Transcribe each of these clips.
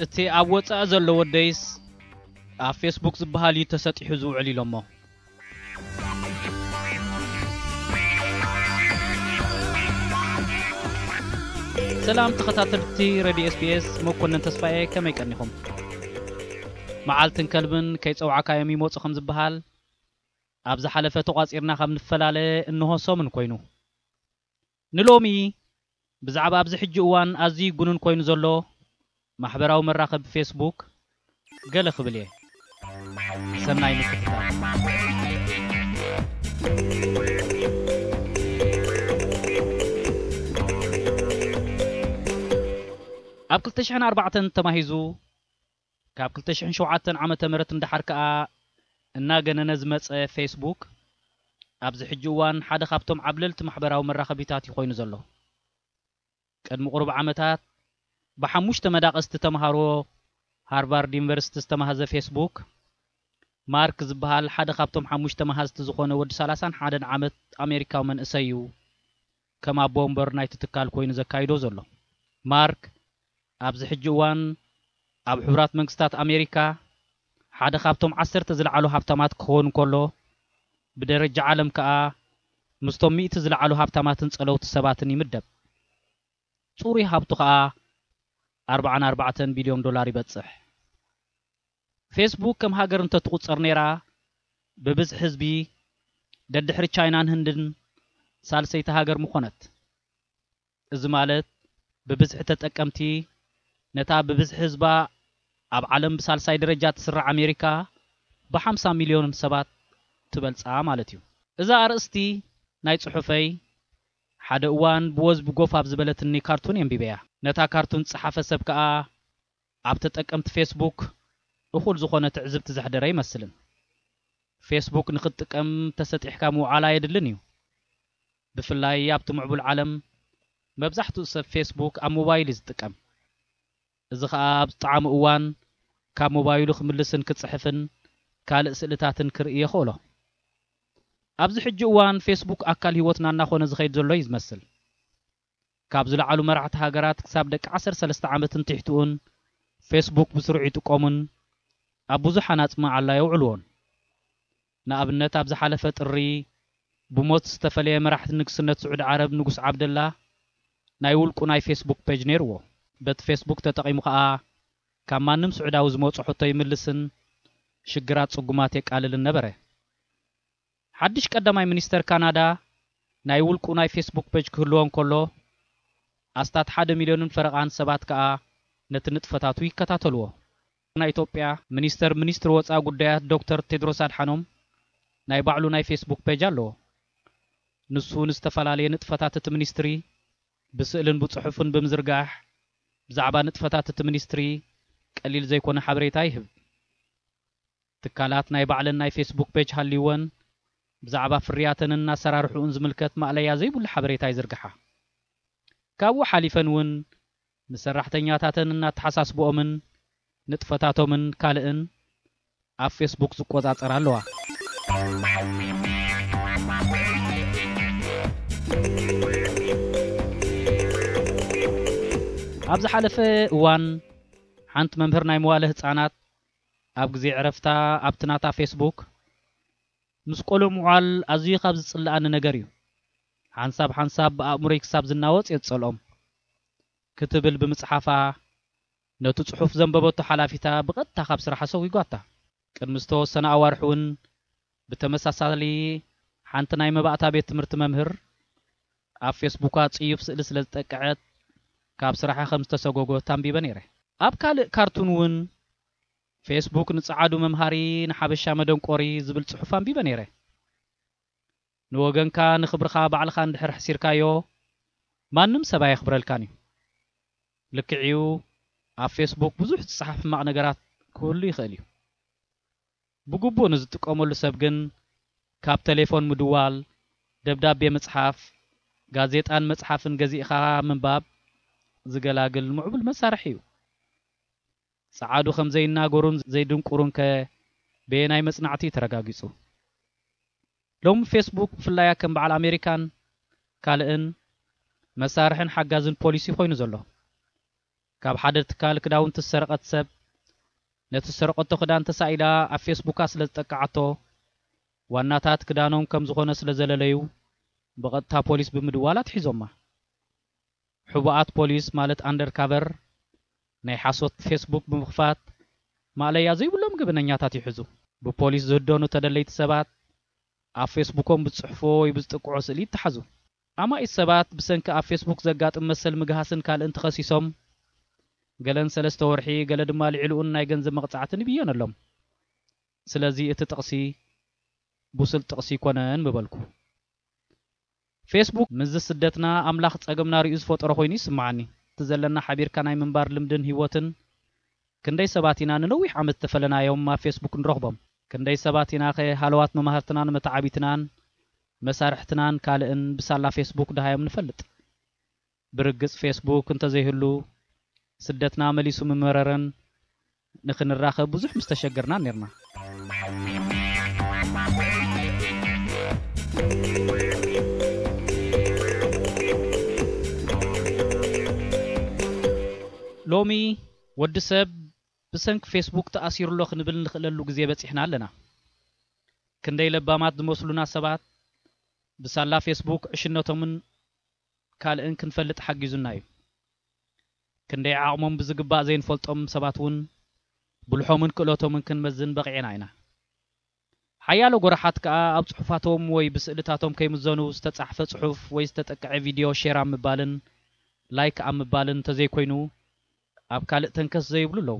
እቲ ኣብ ወጻኢ ዘሎ ወደይስ ኣብ ፌስቡክ ዝበሃል እዩ ተሰጢሑ ዝውዕል ኢሎሞ። ሰላም ተኸታተልቲ ሬድዮ ኤስቢኤስ፣ መኮነን ተስፋዬ፣ ከመይ ቀኒኹም? መዓልትን ከልብን ከይጸውዓካዮም ይመጹ ከም ዝበሃል፣ ኣብ ዝሓለፈ ተቋጺርና ካብ ንፈላለ እንሆ ሰሙን ኮይኑ። ንሎሚ ብዛዕባ ኣብዚ ሕጂ እዋን ኣዝዩ ይጉንን ኮይኑ ዘሎ ማሕበራዊ መራኸቢ ፌስቡክ ገለ ክብል እየ። ሰናይ ምክትታል። ኣብ ክልተ ሽሕን ኣርባዕተን ተማሂዙ ካብ ክልተ ሽሕን ሸውዓተን ዓመተ ምህረት ንደሓር ከኣ እናገነነ ዝመጸ ፌስቡክ፣ ኣብዚ ሕጂ እዋን ሓደ ካብቶም ዓብለልቲ ማሕበራዊ መራኸቢታት እዩ ኮይኑ ዘሎ። ቅድሚ ቁሩብ ዓመታት ብሓሙሽተ መዳቕስቲ ተምሃሮ ሃርቫርድ ዩኒቨርሲቲ ዝተማህዘ ፌስቡክ፣ ማርክ ዝበሃል ሓደ ካብቶም ሓሙሽተ መሃዝቲ ዝኾነ ወዲ ሰላሳን ሓደን ዓመት ኣሜሪካዊ መንእሰይ እዩ ከም ኣቦ ወንበር ናይቲ ትካል ኮይኑ ዘካይዶ ዘሎ። ማርክ ኣብዚ ሕጂ እዋን ኣብ ሕቡራት መንግስታት ኣሜሪካ ሓደ ካብቶም ዓሰርተ ዝለዓሉ ሃብታማት ክኸውን ከሎ፣ ብደረጃ ዓለም ከኣ ምስቶም ሚእቲ ዝለዓሉ ሃብታማትን ጸለውቲ ሰባትን ይምደብ። ጽሩይ ሃብቱ ከኣ ኣርባዓን ኣርባዕተን ቢልዮን ዶላር ይበጽሕ። ፌስቡክ ከም ሃገር እንተትቑጸር ነይራ፣ ብብዝሒ ህዝቢ ደድሕሪ ቻይናን ህንድን ሳልሰይቲ ሃገር ምኾነት። እዚ ማለት ብብዝሒ ተጠቀምቲ ነታ ብብዝሒ ህዝባ ኣብ ዓለም ብሳልሳይ ደረጃ ትስራዕ ኣሜሪካ ብሓምሳ ሚልዮን ሰባት ትበልጻ ማለት እዩ። እዛ ኣርእስቲ ናይ ጽሑፈይ ሓደ እዋን ብወዝቢ ጎፍ ኣብ ዝበለትኒ ካርቱን የንቢበያ። ነታ ካርቱን ዝጸሓፈ ሰብ ከኣ ኣብ ተጠቀምቲ ፌስቡክ እኹል ዝኾነ ትዕዝብቲ ዘሕደረ ኣይመስልን። ፌስቡክ ንኽትጥቀም ተሰጢሕካ ምውዓል ኣየድልን እዩ። ብፍላይ ኣብቲ ምዕቡል ዓለም መብዛሕትኡ ሰብ ፌስቡክ ኣብ ሞባይል እዩ ዝጥቀም። እዚ ኸኣ ኣብ ዝጠዓሞ እዋን ካብ ሞባይሉ ክምልስን ክጽሕፍን ካልእ ስእልታትን ክርኢ የኽእሎ። ኣብዚ ሕጂ እዋን ፌስቡክ ኣካል ህይወትና እናኾነ ዝኸይድ ዘሎ እዩ ዝመስል። ካብ ዝለዓሉ መራሕቲ ሃገራት ክሳብ ደቂ ዓሰርተ ሰለስተ ዓመትን ትሕትኡን ፌስቡክ ብስሩዕ ይጥቀሙን ኣብ ብዙሕ ሃናጺ መዓላ የውዕልዎን። ንኣብነት ኣብ ዝሓለፈ ጥሪ ብሞት ዝተፈለየ መራሕቲ ንግስነት ስዑዲ ዓረብ ንጉስ ዓብደላ ናይ ውልቁ ናይ ፌስቡክ ፔጅ ነይርዎ። በቲ ፌስቡክ ተጠቒሙ ኸኣ ካብ ማንም ስዑዳዊ ዝመጾ ሕቶ ይምልስን ሽግራት ጽጉማት የቃልልን ነበረ። ሓድሽ ቀዳማይ ሚኒስተር ካናዳ ናይ ውልቁ ናይ ፌስቡክ ፔጅ ክህልዎ እንከሎ፣ ኣስታት ሓደ ሚልዮንን ፈረቓን ሰባት ከኣ ነቲ ንጥፈታቱ ይከታተልዎ። ናይ ኢትዮጵያ ሚኒስተር ሚኒስትሪ ወጻኢ ጉዳያት ዶክተር ቴድሮስ ኣድሓኖም ናይ ባዕሉ ናይ ፌስቡክ ፔጅ ኣለዎ። ንሱ ንዝተፈላለየ ንጥፈታት እቲ ሚኒስትሪ ብስእልን ብጽሑፍን ብምዝርጋሕ፣ ብዛዕባ ንጥፈታት እቲ ሚኒስትሪ ቀሊል ዘይኮነ ሓበሬታ ይህብ። ትካላት ናይ ባዕለን ናይ ፌስቡክ ፔጅ ሃልይወን፣ ብዛዕባ ፍርያተንን ኣሰራርሕኡን ዝምልከት ማእለያ ዘይብሉ ሓበሬታ ይዝርግሓ። ካብኡ ሓሊፈን እውን ንሰራሕተኛታተን እናተሓሳስብኦምን ንጥፈታቶምን ካልእን ኣብ ፌስቡክ ዝቆጻጸራ ኣለዋ። ኣብ ዝሓለፈ እዋን ሓንቲ መምህር ናይ መዋለ ህጻናት ኣብ ግዜ ዕረፍታ ኣብቲ ናታ ፌስቡክ፣ "ምስ ቆልዑ ምውዓል ኣዝዩ ካብ ዝጽልኣኒ ነገር እዩ። ሓንሳብ ሓንሳብ ብኣእምሮይ ክሳብ ዝናወጽ እየ ዝጸልኦም" ክትብል ብምጽሓፋ፣ ነቲ ጽሑፍ ዘንበበቶ ሓላፊታ ብቐጥታ ካብ ስራሓ ሰጒጓታ። ቅድሚ ዝተወሰነ ኣዋርሕ እውን ብተመሳሳሊ ሓንቲ ናይ መባእታ ቤት ትምህርቲ መምህር ኣብ ፌስቡካ ጽዩፍ ስእሊ ስለ ዝጠቅዐት ካብ ስራሓ ከም ዝተሰጎጎት ኣንቢበ ነይረ። ኣብ ካልእ ካርቱን እውን "ፌስቡክ ንጸዓዱ መምሃሪ፣ ንሓበሻ መደንቆሪ" ዝብል ጽሑፍ ኣንቢበ ነይረ። "ንወገንካ ንኽብርኻ ባዕልኻ እንድሕር ሕሲርካዮ፣ ማንም ሰብ ኣየኽብረልካን እዩ። ልክዕ እዩ፣ ኣብ ፌስቡክ ብዙሕ ዝጸሓፍ ሕማቕ ነገራት ክህሉ ይኽእል እዩ። ብግቡእ ንዝጥቀመሉ ሰብ ግን ካብ ቴሌፎን ምድዋል፣ ደብዳቤ ምጽሓፍ፣ ጋዜጣን መጽሓፍን ገዚእኻ ምንባብ ዝገላግል ምዕቡል መሳርሒ እዩ። ጸዓዱ ከም ዘይናገሩን ዘይድንቁሩን ከ በየናይ መጽናዕቲ እዩ ተረጋጊጹ?" ሎሚ ፌስቡክ ብፍላይ ከም በዓል ኣሜሪካን ካልእን መሳርሕን ሓጋዝን ፖሊስ እዩ ኮይኑ ዘሎ። ካብ ሓደ ትካል ክዳውንቲ ዝሰረቐት ሰብ፣ ነቲ ዝሰረቐቶ ክዳን ተሳኢላ ኣብ ፌስቡካ ስለ ዝጠቀዓቶ፣ ዋናታት ክዳኖም ከም ዝኾነ ስለ ዘለለዩ፣ ብቐጥታ ፖሊስ ብምድዋል ኣትሒዞማ። ሕቡኣት ፖሊስ፣ ማለት ኣንደርካቨር፣ ናይ ሓሶት ፌስቡክ ብምኽፋት፣ ማእለያ ዘይብሎም ገበነኛታት ይሕዙ። ብፖሊስ ዝህደኑ ተደለይቲ ሰባት፣ ኣብ ፌስቡኮም ብዝጽሕፍዎ ወይ ብዝጥቅዖ ስእሊ ይተሓዙ። ኣማኢት ሰባት ብሰንኪ ኣብ ፌስቡክ ዘጋጥም መሰል ምግሃስን ካልእን ተኸሲሶም፣ ገለን ሰለስተ ወርሒ፣ ገለ ድማ ልዕሊኡን ናይ ገንዘብ መቕጻዕትን ይብየነሎም። ስለዚ እቲ ጥቕሲ ብሱል ጥቕሲ ኣይኮነን ምበልኩ። ፌስቡክ ምስዚ ስደትና ኣምላኽ ጸገምና ርእዩ ዝፈጠሮ ኮይኑ ይስምዓኒ። እቲ ዘለና ሓቢርካ ናይ ምንባር ልምድን ህይወትን ክንደይ ሰባት ኢና ንነዊሕ ዓመት ዝተፈለናዮም ኣብ ፌስቡክ ንረኽቦም? ክንደይ ሰባት ኢናኸ ሃለዋት መማህርትናን መተዓቢትናን መሳርሕትናን ካልእን ብሳላ ፌስቡክ ደሃዮም ንፈልጥ? ብርግጽ ፌስቡክ እንተዘይህሉ ስደትና መሊሱ ምመረረን ንኽንራኸብ ብዙሕ ምስተሸገርናን ኔርና። ሎሚ ወዲ ሰብ ብሰንኪ ፌስቡክ ተኣሲሩ ኣሎ ክንብል ንኽእለሉ ግዜ በጺሕና ኣለና። ክንደይ ለባማት ዝመስሉና ሰባት ብሳላ ፌስቡክ ዕሽነቶምን ካልእን ክንፈልጥ ሓጊዙና እዩ። ክንደይ ዓቕሞም ብዝግባእ ዘይንፈልጦም ሰባት እውን ብልሖምን ክእለቶምን ክንመዝን በቒዕና ኢና። ሓያሎ ጎራሓት ከኣ ኣብ ጽሑፋቶም ወይ ብስእልታቶም ከይምዘኑ ዝተጻሕፈ ጽሑፍ ወይ ዝተጠቅዐ ቪድዮ ሼር ኣብ ምባልን ላይክ ኣብ ምባልን እንተዘይኮይኑ ኣብ ካልእ ተንከስ ዘይብሉ ኣለዉ።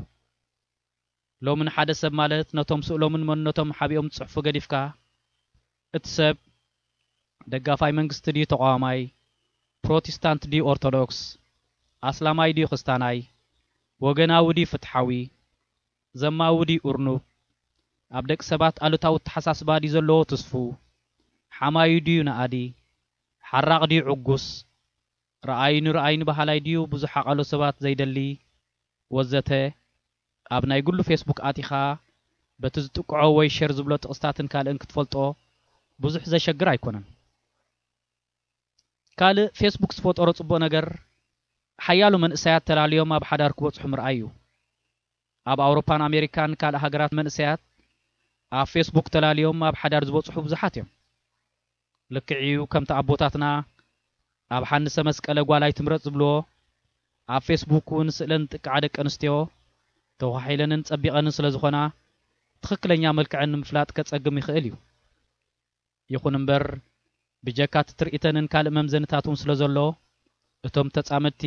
ሎሚ ንሓደ ሰብ ማለት ነቶም ስእሎምን መንነቶም ሓቢኦም ዝጽሕፉ ገዲፍካ፣ እቲ ሰብ ደጋፋይ መንግስቲ ድዩ ተቓዋማይ፣ ፕሮቴስታንት ድዩ ኦርቶዶክስ፣ ኣስላማይ ድዩ ክስታናይ፣ ወገናዊ ድዩ ፍትሓዊ፣ ዘማዊ ድዩ እርኑብ፣ ኣብ ደቂ ሰባት ኣሉታዊ ኣተሓሳስባ ድዩ ዘለዎ ትስፉው፣ ሓማዩ ድዩ ነኣዲ፣ ሓራቕ ድዩ ዕጉስ፣ ረኣዩኒ ረኣዩኒ በሃላይ ድዩ ብዙሕ ሓቓሎ ሰባት ዘይደሊ፣ ወዘተ፣ ኣብ ናይ ግሉ ፌስቡክ ኣቲኻ በቲ ዝጥቅዖ ወይ ሸር ዝብሎ ጥቕስታትን ካልእን ክትፈልጦ ብዙሕ ዘሸግር ኣይኮነን። ካልእ ፌስቡክ ዝፈጠሮ ጽቡቕ ነገር፣ ሓያሎ መንእሰያት ተላልዮም ኣብ ሓዳር ክበጽሑ ምርኣይ እዩ። ኣብ ኣውሮፓን ኣሜሪካን ካልእ ሃገራት መንእሰያት ኣብ ፌስቡክ ተላልዮም ኣብ ሓዳር ዝበጽሑ ብዙሓት እዮም። ልክዕ እዩ፣ ከምቲ ኣቦታትና ኣብ ሓንሰ መስቀለ ጓል ኣይትምረጽ ዝብልዎ፣ ኣብ ፌስቡክ እውን ስእለን ዝጥቅዓ ደቂ ኣንስትዮ ተዃሒለንን ጸቢቐንን ስለ ዝኾና፣ ትኽክለኛ መልክዐን ንምፍላጥ ከጸግም ይኽእል እዩ። ይኹን እምበር፣ ብጀካ እቲ ትርኢተንን ካልእ መምዘንታት እውን ስለ ዘሎ፣ እቶም ተጻመድቲ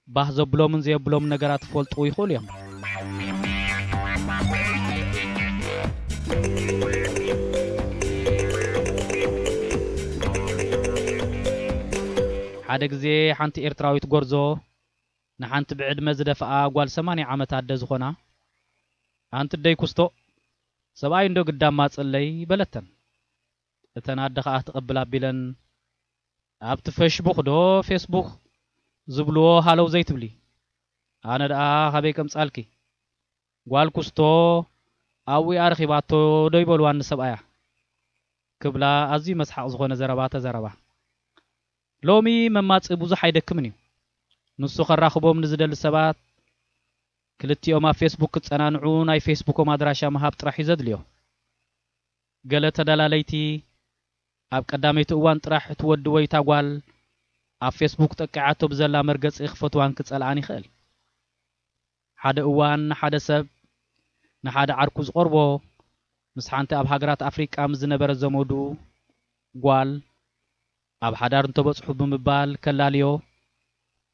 ባህ ዘብሎምን ዘየብሎምን ነገራት ክፈልጡ ይኽእሉ እዮም። ሓደ ግዜ ሓንቲ ኤርትራዊት ጎርዞ ንሓንቲ ብዕድመ ዝደፍኣ ጓል ሰማንያ ዓመት ኣደ ዝኾና፣ "ኣንቲ ደይ ኩስቶ፣ ሰብኣይ እንዶ ግዳም ማጽለይ?" በለተን። እተን ኣደ ኸኣ ትቕብል ኣቢለን፣ "ኣብቲ ፈሽቡክ ዶ ፌስቡክ ዝብልዎ ሃለው ዘይትብሊ? ኣነ ደኣ ካበይ ከምጻልኪ? ጓል ኩስቶ ኣብኡ እያ ረኺባቶ ዶ ይበልዋኒ ሰብኣያ?" ክብላ ኣዝዩ መስሓቕ ዝኾነ ዘረባ ተዘረባ። ሎሚ መማጽኢ ብዙሕ ኣይደክምን እዩ። ንሱ ከራኽቦም ንዝደሊ ሰባት ክልቲኦም ኣብ ፌስቡክ ክጸናንዑ ናይ ፌስቡኮም ኣድራሻ ምሃብ ጥራሕ እዩ ዘድልዮ። ገለ ተደላለይቲ ኣብ ቀዳመይቲ እዋን ጥራሕ እቲ ወዲ ወይ እታ ጓል ኣብ ፌስቡክ ጠቂዓቶ ብዘላ መርገጺ ክፈትዋን ክጸልኣን ይኽእል። ሓደ እዋን ንሓደ ሰብ ንሓደ ዓርኩ ዝቐርቦ ምስ ሓንቲ ኣብ ሃገራት ኣፍሪቃ ምስ ዝነበረ ዘመዱ ጓል ኣብ ሓዳር እንተበጽሑ ብምባል ከላልዮ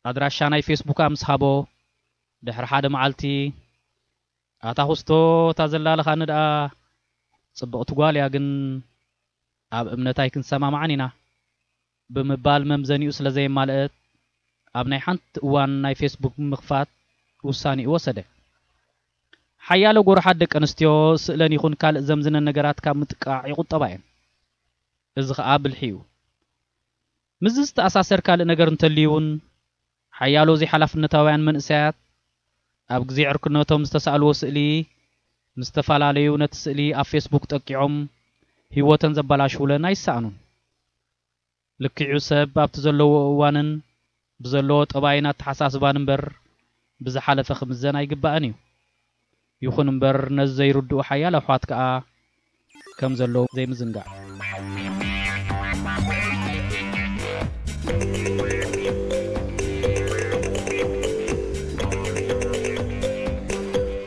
ኣድራሻ ናይ ፌስቡካ ምስ ሃቦ ድሕሪ ሓደ መዓልቲ ኣታ ኩስቶ እታ ዘላ ኣለኻኒ ደኣ ጽብቕቲ ጓል እያ፣ ግን ኣብ እምነት ኣይክንሰማማዕን ኢና ብምባል መምዘኒኡ ስለ ዘየማልአት ኣብ ናይ ሓንቲ እዋን ናይ ፌስቡክ ምኽፋት ውሳኔኡ ወሰደ። ሓያሎ ጎርሓት ደቂ ኣንስትዮ ስእለን ይኹን ካልእ ዘምዝነን ነገራት ካብ ምጥቃዕ ይቑጠባ እየን። እዚ ኸኣ ብልሒ እዩ። ምስዚ ዝተኣሳሰር ካልእ ነገር እንተልዩ እውን ሓያሎ ዘይሓላፍነታውያን መንእሰያት ኣብ ግዜ ዕርክነቶም ዝተሳእልዎ ስእሊ ምስ ዝተፈላለዩ ነቲ ስእሊ ኣብ ፌስቡክ ጠቂዖም ህይወተን ዘበላሽውለን ኣይሰኣኑን። ልክዑ ሰብ ኣብቲ ዘለዎ እዋንን ብዘለዎ ጠባይን ኣተሓሳስባን እምበር ብዝሓለፈ ክምዘን ኣይግባእን እዩ። ይኹን እምበር ነዚ ዘይርድኡ ሓያሎ ኣሕዋት ከኣ ከም ዘለዉ ዘይምዝንጋዕ።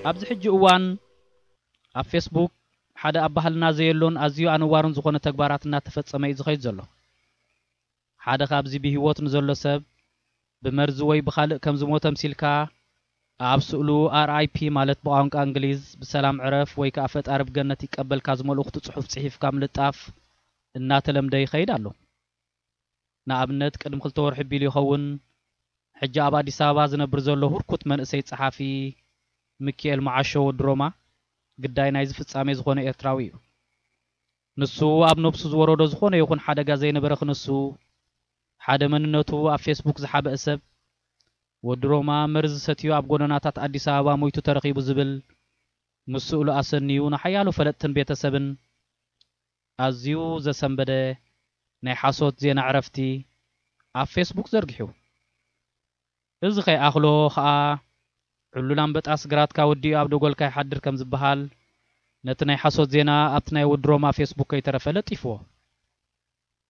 ኣብዚ ሕጂ እዋን ኣብ ፌስቡክ ሓደ ኣብ ባህልና ዘየሎን ኣዝዩ ኣነዋርን ዝኾነ ተግባራት እናተፈጸመ እዩ ዝኸይድ ዘሎ። ሓደ ካብዚ ብህይወት ንዘሎ ሰብ ብመርዚ ወይ ብኻልእ ከም ዝሞተ ኣምሲልካ ኣብ ስእሉ ኣር ኣይ ፒ ማለት ብቋንቋ እንግሊዝ ብሰላም ዕረፍ ወይ ከኣ ፈጣሪ ብገነት ይቀበልካ ዝመልእኽቱ ጽሑፍ ጽሒፍካ ምልጣፍ እናተለምደ ይኸይድ ኣሎ። ንኣብነት ቅድሚ ክልተ ወርሒ ቢሉ ይኸውን ሕጂ ኣብ ኣዲስ ኣበባ ዝነብር ዘሎ ህርኩት መንእሰይ ጸሓፊ ሚኪኤል መዓሾ ወዲ ሮማ ግዳይ ናይዚ ፍጻሜ ዝኾነ ኤርትራዊ እዩ። ንሱ ኣብ ነብሱ ዝወረዶ ዝኾነ ይኹን ሓደጋ ዘይነበረ ክንሱ ሓደ መንነቱ ኣብ ፌስቡክ ዝሓበአ ሰብ ወዲ ሮማ መርዚ ሰትዩ ኣብ ጎደናታት ኣዲስ ኣበባ ሞይቱ ተረኺቡ ዝብል ምስ ስእሉ ኣሰንዩ ንሓያሎ ፈለጥትን ቤተሰብን ኣዝዩ ዘሰንበደ ናይ ሓሶት ዜና ዕረፍቲ ኣብ ፌስቡክ ዘርጊሑ። እዚ ከይኣኽሎ ኸኣ ዕሉል ኣንበጣስ ግራትካ ወዲኡ ኣብ ደጎልካ ይሓድር ከም ዝበሃል ነቲ ናይ ሓሶት ዜና ኣብቲ ናይ ወዲ ሮማ ፌስቡክ ከይተረፈ ለጢፍዎ።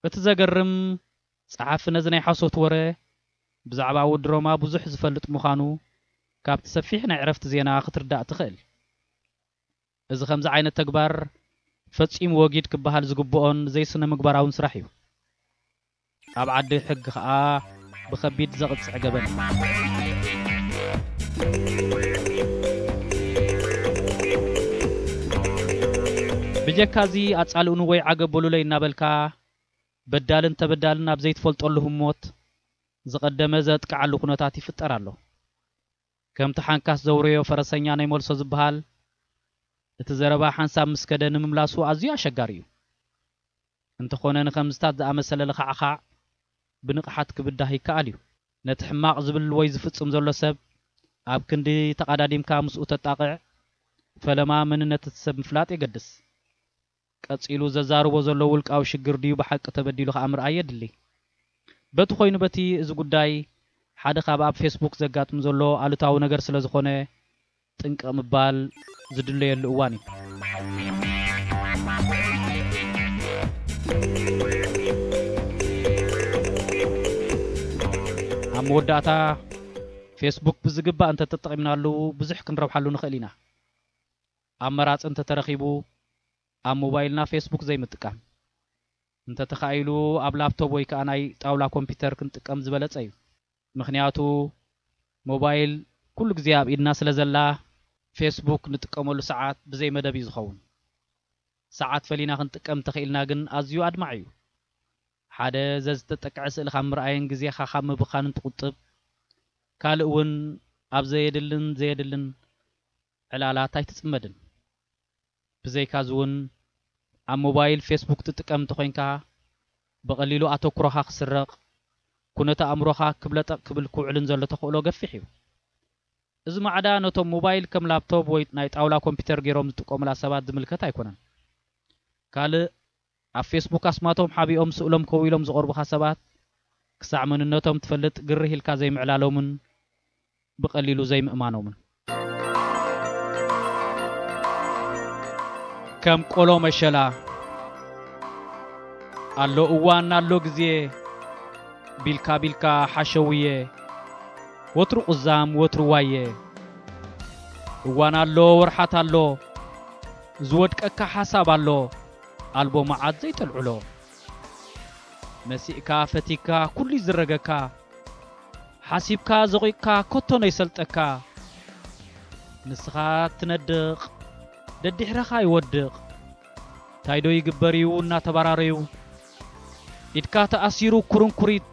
እቲ ዘገርም ጸሓፊ ነዚ ናይ ሓሶት ወረ ብዛዕባ ወዲ ሮማ ብዙሕ ዝፈልጥ ምዃኑ ካብቲ ሰፊሕ ናይ ዕረፍቲ ዜና ክትርዳእ ትኽእል። እዚ ከምዚ ዓይነት ተግባር ፈጺሙ ወጊድ ክበሃል ዝግብኦን ዘይስነ ምግባራውን ስራሕ እዩ። ኣብ ዓዲ ሕጊ ኸኣ ብኸቢድ ዘቕጽዕ ገበን እዩ። ብጀካዚ ኣጻልኡኒ ወይ ዓገብ በሉለይ እናበልካ በዳልን ተበዳልን ኣብ ዘይትፈልጠሉ ህሞት ዝቐደመ ዘጥቅዓሉ ኩነታት ይፍጠር ኣሎ። ከምቲ ሓንካስ ዘውረዮ ፈረሰኛ ናይ መልሶ ዝበሃል እቲ ዘረባ ሓንሳብ ምስ ከደ ንምምላሱ ኣዝዩ ኣሸጋሪ እዩ። እንተኾነ ንኸምዝታት ዝኣመሰለ ለኻዕኻዕ ብንቕሓት ክብዳህ ይከኣል እዩ። ነቲ ሕማቕ ዝብል ወይ ዝፍጽም ዘሎ ሰብ ኣብ ክንዲ ተቓዳዲምካ ምስኡ ተጣቕዕ፣ ፈለማ መንነት እቲ ሰብ ምፍላጥ የገድስ። ቀጺሉ ዘዛርቦ ዘሎ ውልቃዊ ሽግር ድዩ ብሓቂ ተበዲሉ ከኣ ምርኣይ የድሊ። በቲ ኮይኑ በቲ እዚ ጉዳይ ሓደ ካብ ኣብ ፌስቡክ ዘጋጥም ዘሎ ኣሉታዊ ነገር ስለ ዝኾነ ጥንቅቕ ምባል ዝድለየሉ እዋን እዩ። ኣብ መወዳእታ ፌስቡክ ብዝግባእ እንተተጠቒምናሉ ብዙሕ ክንረብሓሉ ንኽእል ኢና። ኣመራጺ እንተተረኺቡ ኣብ ሞባይልና ፌስቡክ ዘይምጥቃም፣ እንተተኻኢሉ ኣብ ላፕቶፕ ወይ ከኣ ናይ ጣውላ ኮምፒውተር ክንጥቀም ዝበለጸ እዩ። ምኽንያቱ ሞባይል ኩሉ ግዜ ኣብ ኢድና ስለ ዘላ ፌስቡክ ንጥቀመሉ ሰዓት ብዘይ መደብ እዩ ዝኸውን። ሰዓት ፈሊና ክንጥቀም እንተኽኢልና ግን ኣዝዩ ኣድማዒ እዩ። ሓደ ዘዝተጠቅዐ ስእሊ ካብ ምርኣይን ግዜኻ ካብ ምብኻንን ትቑጥብ። ካልእ እውን ኣብ ዘየድልን ዘየድልን ዕላላት ኣይትጽመድን። ብዘይካዚ እውን ኣብ ሞባይል ፌስቡክ ትጥቀም እንተኾይንካ ብቐሊሉ ኣተኩሮኻ ክስረቕ፣ ኩነተ ኣእምሮኻ ክብለጠቕ ክብል ክውዕልን ዘሎ ተኽእሎ ገፊሕ እዩ። እዚ ማዕዳ ነቶም ሞባይል ከም ላፕቶፕ ወይ ናይ ጣውላ ኮምፒውተር ገይሮም ዝጥቀሙላ ሰባት ዝምልከት ኣይኮነን። ካልእ ኣብ ፌስቡክ ኣስማቶም ሓቢኦም ስእሎም ከዊሎም ዝቐርቡኻ ሰባት ክሳዕ መንነቶም ትፈልጥ ግርህ ኢልካ ዘይምዕላሎምን ብቐሊሉ ዘይምእማኖምን። ከም ቆሎ መሸላ ኣሎ እዋን ኣሎ ግዜ ቢልካ ቢልካ ሓሸውየ ወትሩ ቁዛም ወትሩ ዋየ እዋን ኣሎ ወርሓት ኣሎ ዝወድቀካ ሓሳብ ኣሎ ኣልቦ መዓት ዘይጠልዕሎ መሲእካ ፈቲካ ኩሉ ይዝረገካ ሓሲብካ ዘቑቕካ ኮቶ ነይሰልጠካ ንስኻ ትነድቕ ደድሕረኻ ይወድቕ ታይ ዶ ይግበር እዩ እናተባራረዩ ኢድካ ተኣሲሩ ኩርንኩሪት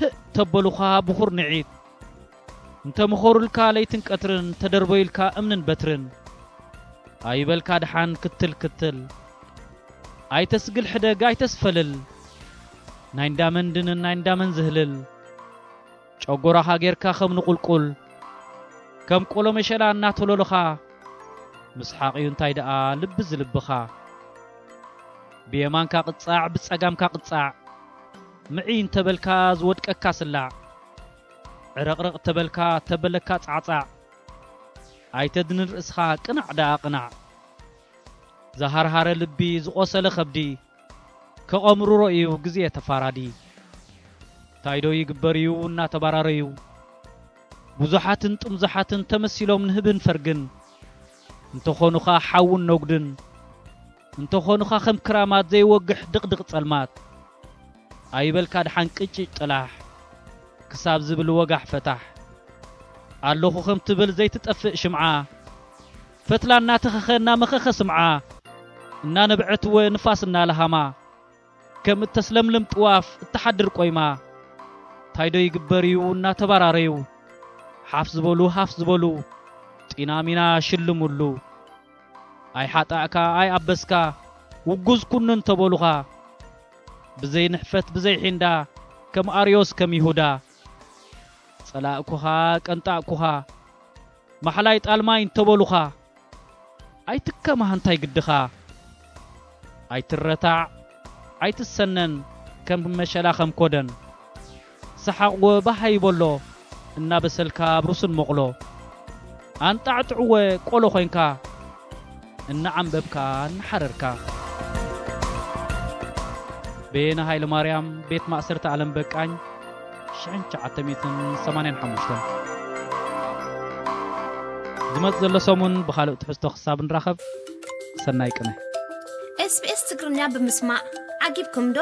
ህእ ተበሉኻ ብኹር ንዒት እንተምኾሩልካ ለይትን ቀትርን ተደርበዩልካ እምንን በትርን ኣይበልካ ደሓን ክትል ክትል ኣይተስግል ሕደግ ኣይተስፈልል ናይ እንዳመን ድንን ናይ እንዳመን ዝህልል ጨጎራኻ ጌርካ ከም ንቑልቁል ከም ቆሎ መሸላ እናተሎልኻ ምስሓቕ እዩ እንታይ ደኣ ልቢ ዝልብኻ ብየማንካ ቅጻዕ ብጸጋምካ ቅጻዕ ምዒ እንተበልካ ዝወድቀካ ስላዕ፣ ዕረቕረቕ ተበልካ ተበለካ ጻዕጻዕ። ኣይተድንን ርእስኻ፣ ቅናዕ ደኣ ቅናዕ። ዝሃርሃረ ልቢ፣ ዝቖሰለ ከብዲ፣ ከቐምርሮ እዩ ግዜ ተፋራዲ። እንታይ ዶ ይግበር እዩ እናተባራረዩ፣ ብዙሓትን ጥምዙሓትን ተመሲሎም ንህብን ፈርግን። እንተኾኑኻ ሓውን ነጉድን፣ እንተኾኑኻ ከም ክራማት ዘይወግሕ ድቕድቕ ጸልማት። ኣይበልካ ድሓን ቅጭጭ ጥላሕ፣ ክሳብ ዝብል ወጋሕ ፈታሕ። ኣለኹ ከም ትብል ዘይትጠፍእ ሽምዓ፣ ፈትላ እናተኸኸ እናመኸኸ ስምዓ። እናነብዐት እወ ንፋስ እናለሃማ፣ ከም እተስለምልም ጥዋፍ እተሓድር ቆይማ። እንታይ ዶ ይግበር እዩ እናተባራረዩ፣ ሓፍ ዝበሉ ሃፍ ዝበሉ፣ ጢና ሚና ሽልሙሉ። ኣይሓጣእካ ኣይኣበስካ፣ ውጉዝ ኩኑ እንተበሉኻ፣ ብዘይ ንሕፈት ብዘይ ሒንዳ፣ ከም ኣርዮስ ከም ይሁዳ። ጸላእኩኻ ቀንጣእኩኻ፣ ማሕላይ ጣልማይ እንተበሉኻ፣ ኣይትከማህ እንታይ ግድኻ። ኣይትረታዕ ኣይትሰነን ከም መሸላ ከም ኮደን። ሰሓቕ ወ ባህ ይበሎ እናበሰልካ ኣብ ሩስን መቕሎ። ኣንጣዕጥዕወ ቆሎ ኮይንካ እናዓንበብካ እናሓረርካ። በየነ ሃይለማርያም፣ ቤት ማእሰርቲ ኣለም በቃኝ፣ ሽሕን ትሽዓተ ሚእትን ሰማንያን ሓሙሽተን። ዝመጽእ ዘሎ ሰሙን ብኻልእ ትሕዝቶ ክሳብ ንራኸብ፣ ሰናይ ቅነ። SBS ትግርኛ ብምስማዕ ዓጊብኩም ዶ?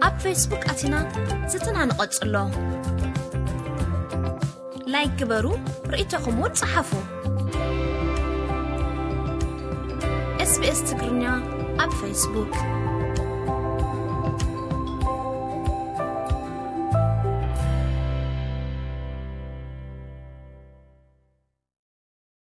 ኣብ ፌስቡክ ኣቲና ዝትና ንቐጽሎ። ላይክ ግበሩ፣ ርእይቶኹም እውን ጸሓፉ። SBS ትግርኛ ኣብ ፌስቡክ።